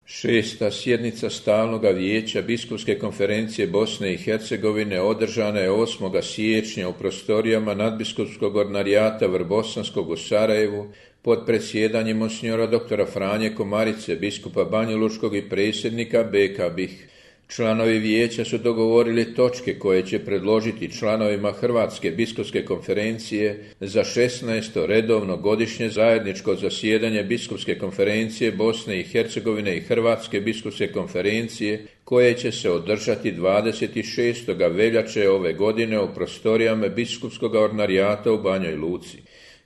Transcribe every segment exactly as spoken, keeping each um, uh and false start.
Šesta sjednica Stalnoga vijeća Biskupske konferencije Bosne i Hercegovine održana je osmog siječnja u prostorijama nadbiskupskog ordinarijata Vrbosanskog u Sarajevu pod predsjedanjem monsignora doktora Franje Komarice, biskupa Banjalučkog i predsjednika B K B I H. Članovi vijeća su dogovorili točke koje će predložiti članovima Hrvatske biskupske konferencije za šesnaesto redovno godišnje zajedničko zasjedanje Biskupske konferencije Bosne i Hercegovine i Hrvatske biskupske konferencije koje će se održati dvadeset šestog veljače ove godine u prostorijama Biskupskog ordinarijata u Banjoj Luci.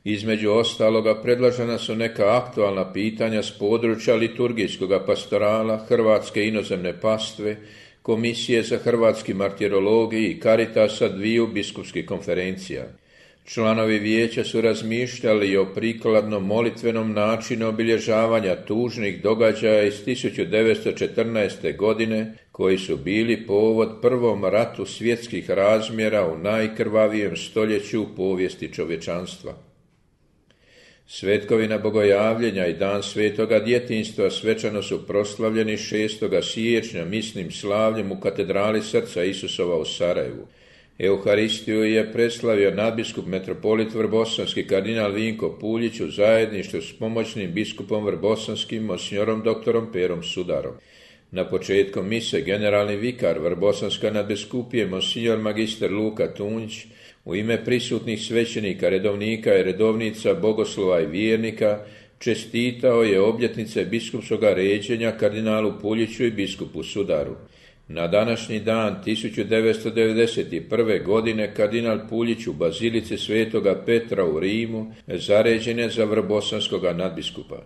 Između ostaloga predložena su neka aktualna pitanja s područja liturgijskog pastorala, Hrvatske inozemne pastve, Komisije za hrvatski martirologiji i Karitasa dviju biskupskih konferencija. Članovi vijeća su razmišljali o prikladnom molitvenom načinu obilježavanja tužnih događaja iz tisuću devetsto četrnaeste. godine koji su bili povod prvom ratu svjetskih razmjera u najkrvavijem stoljeću u povijesti čovječanstva. Svetkovina Bogojavljenja i Dan Svetoga djetinjstva svečano su proslavljeni šestog siječnja misnim slavljem u katedrali Srca Isusova u Sarajevu. Euharistiju je preslavio nadbiskup metropolit Vrbosanski kardinal Vinko Puljić u zajedništvu s pomoćnim biskupom Vrbosanskim monsignorom doktorom Perom Sudarom. Na početku mise generalni vikar Vrbosanska nadbiskupije monsignor magister Luka Tunjić u ime prisutnih svećenika, redovnika i redovnica, bogoslova i vjernika čestitao je obljetnice biskupskog ređenja kardinalu Puljiću i biskupu Sudaru. Na današnji dan tisuću devetsto devedeset prve. godine kardinal Puljić u bazilici Svetoga Petra u Rimu zaređen je za vrbosanskog nadbiskupa.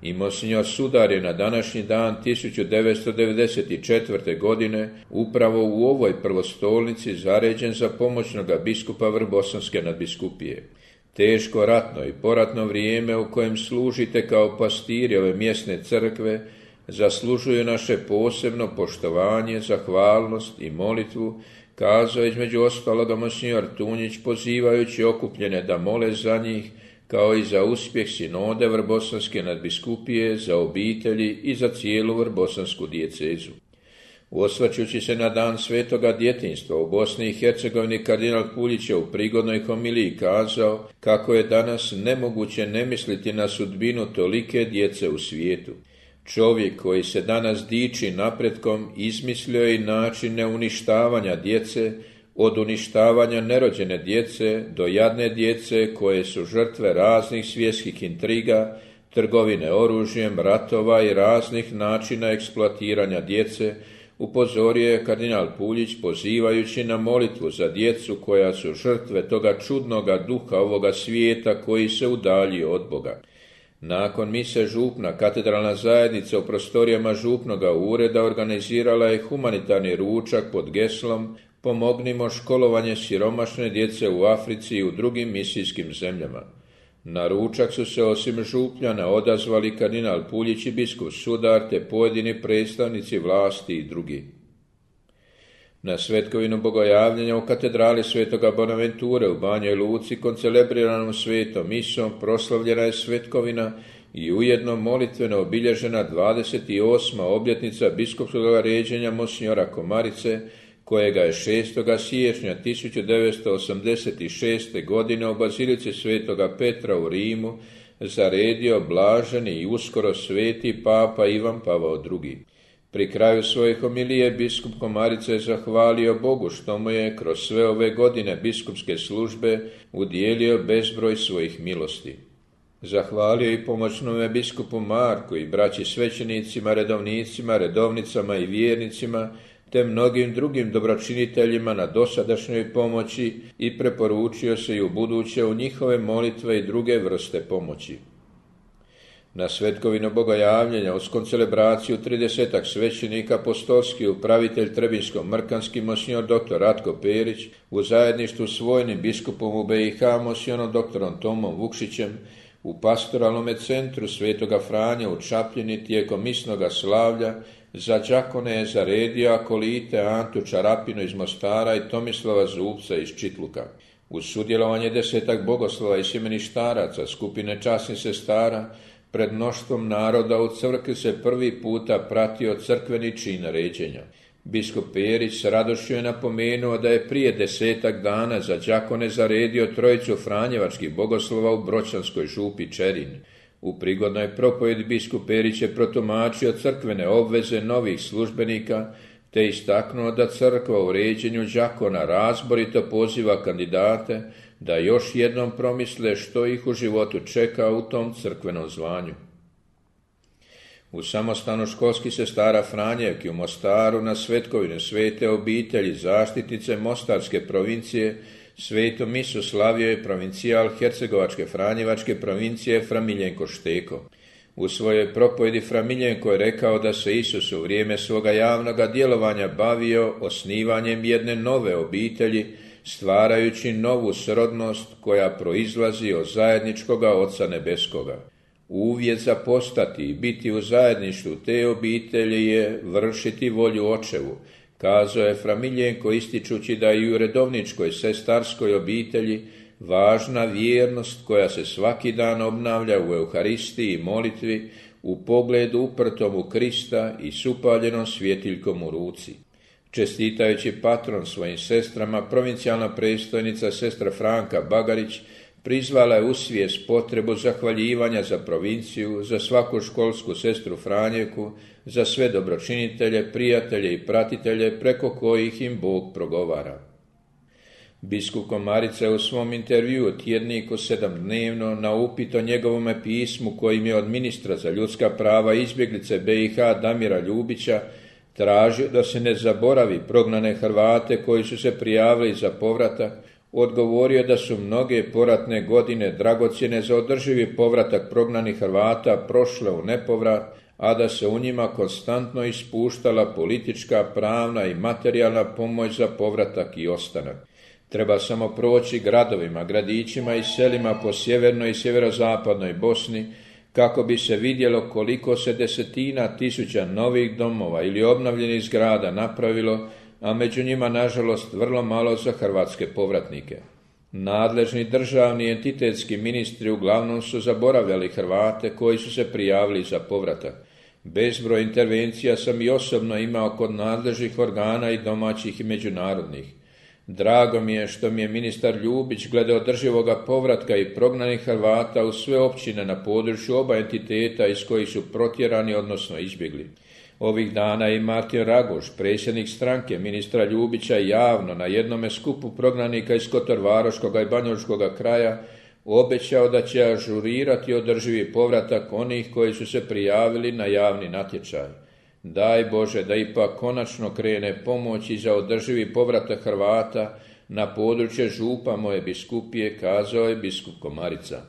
I monsignor Sudar je na današnji dan tisuću devetsto devedeset četvrte. godine upravo u ovoj prvostolnici zaređen za pomoćnoga biskupa Vrbosanske nadbiskupije. Teško ratno i poratno vrijeme u kojem služite kao pastiri ove mjesne crkve zaslužuju naše posebno poštovanje, zahvalnost i molitvu, kazao između ostaloga monsignor Tunjić pozivajući okupljene da mole za njih, kao i za uspjeh sinode Vrbosanske nadbiskupije, za obitelji i za cijelu vrbosansku dijecezu. Osvrćući se na dan Svetoga djetinjstva u Bosni i Hercegovini, kardinal Puljić je u prigodnoj homiliji kazao kako je danas nemoguće ne misliti na sudbinu tolike djece u svijetu. Čovjek koji se danas diči napretkom izmislio je i načine uništavanja djece, od uništavanja nerođene djece do jadne djece koje su žrtve raznih svjetskih intriga, trgovine oružjem, ratova i raznih načina eksploatiranja djece, upozorio je kardinal Puljić pozivajući na molitvu za djecu koja su žrtve toga čudnoga duha ovoga svijeta koji se udaljio od Boga. Nakon mise župna, katedralna zajednica u prostorijama župnoga ureda organizirala je humanitarni ručak pod geslom Pomognimo školovanje siromašne djece u Africi i u drugim misijskim zemljama. Na ručak su se osim župljana odazvali kardinal Puljić i biskup Sudar te pojedini predstavnici vlasti i drugi. Na svetkovinu Bogojavljenja u katedrali Svetoga Bonaventure u Banjoj Luci koncelebriranu svetom misom proslavljena je svetkovina i ujedno molitveno obilježena dvadeset osma obljetnica biskupskog ređenja monsignora Komarice, kojega je šestog siječnja tisuću devetsto osamdeset šeste. godine u bazilici Svetoga Petra u Rimu zaredio blaženi i uskoro sveti papa Ivan Pavao drugi. Pri kraju svoje homilije biskup Komarica je zahvalio Bogu što mu je kroz sve ove godine biskupske službe udijelio bezbroj svojih milosti. Zahvalio i pomoćnome biskupu Marku i braći svećenicima, redovnicima, redovnicama i vjernicima, te mnogim drugim dobročiniteljima na dosadašnjoj pomoći i preporučio se i u buduće u njihove molitve i druge vrste pomoći. Na svetkovinu Bogojavljenja uz koncelebraciju tridesetak svećenika apostolski upravitelj Trebinsko-Mrkanski monsignor doktor Ratko Perić u zajedništvu s vojnim biskupom u B i H monsignorom doktorom Tomom Vukšićem u pastoralnom centru Svetoga Franje u Čapljini tijekom misnoga slavlja za đakone je zaredio akolite Antu Čarapinu iz Mostara i Tomislava Zubca iz Čitluka. Uz sudjelovanje desetak bogoslova i sjemeništaraca skupine časnih sestara Pred mnoštvom naroda u crkvi se prvi puta pratio crkveni čin ređenja. Biskup Perić s radošću je napomenuo da je prije desetak dana za đakone zaredio trojicu franjevačkih bogoslova u Bročanskoj župi Čerin. U prigodnoj propovjedi biskup Perić je protumačio crkvene obveze novih službenika, te istaknuo da crkva u ređenju đakona razborito poziva kandidate da još jednom promisle što ih u životu čeka u tom crkvenom zvanju. U samostanu školskih sestara Franjevki u Mostaru na svetkovinu svete obitelji zaštitnice Mostarske provincije svetu misu slavio je provincijal Hercegovačke Franjevačke provincije Fra Miljenko Šteko. U svojoj propovjedi Fra Miljenko je rekao da se Isus u vrijeme svoga javnoga djelovanja bavio osnivanjem jedne nove obitelji, stvarajući novu srodnost koja proizlazi od zajedničkoga Oca Nebeskoga. Uvjet za postati i biti u zajedništvu te obitelji je vršiti volju Očevu, kazao je Fra Miljenko ističući da i u redovničkoj sestarskoj obitelji važna vjernost koja se svaki dan obnavlja u Euharistiji i molitvi u pogledu uprtom u Krista i s upaljenom svjetiljkom u ruci. Čestitajući patron svojim sestrama, provincijalna predstojnica sestra Franka Bagarić prizvala je u svijest potrebu zahvaljivanja za provinciju, za svaku školsku sestru Franjevku, za sve dobročinitelje, prijatelje i pratitelje preko kojih im Bog progovara. Biskup Komarica je u svom intervjuu tjedniku sedamdnevno na upit o njegovome pismu kojim je od ministra za ljudska prava izbjeglice B i H Damira Ljubića tražio da se ne zaboravi prognane Hrvate koji su se prijavili za povratak, odgovorio da su mnoge poratne godine dragocjene za održivi povratak prognanih Hrvata prošle u nepovrat, a da se u njima konstantno ispuštala politička, pravna i materijalna pomoć za povratak i ostanak. Treba samo proći gradovima, gradićima i selima po sjevernoj i sjeverozapadnoj Bosni kako bi se vidjelo koliko se desetina tisuća novih domova ili obnovljenih zgrada napravilo, a među njima nažalost vrlo malo za hrvatske povratnike. Nadležni državni entitetski ministri uglavnom su zaboravljali Hrvate koji su se prijavili za povratak. Bezbroj intervencija sam i osobno imao kod nadležnih organa i domaćih i međunarodnih. Drago mi je što mi je ministar Ljubić glede održivoga povratka i prognanih Hrvata u sve općine na području oba entiteta iz kojih su protjerani odnosno izbjegli. Ovih dana je i Martin Ragoš, predsjednik stranke ministra Ljubića, javno na jednome skupu prognanika iz Kotorvaroškoga i Banjalučkoga kraja obećao da će ažurirati održivi povratak onih koji su se prijavili na javni natječaj. Daj Bože da ipak konačno krene pomoć i za održivi povratak Hrvata na područje župa moje biskupije, kazao je biskup Komarica.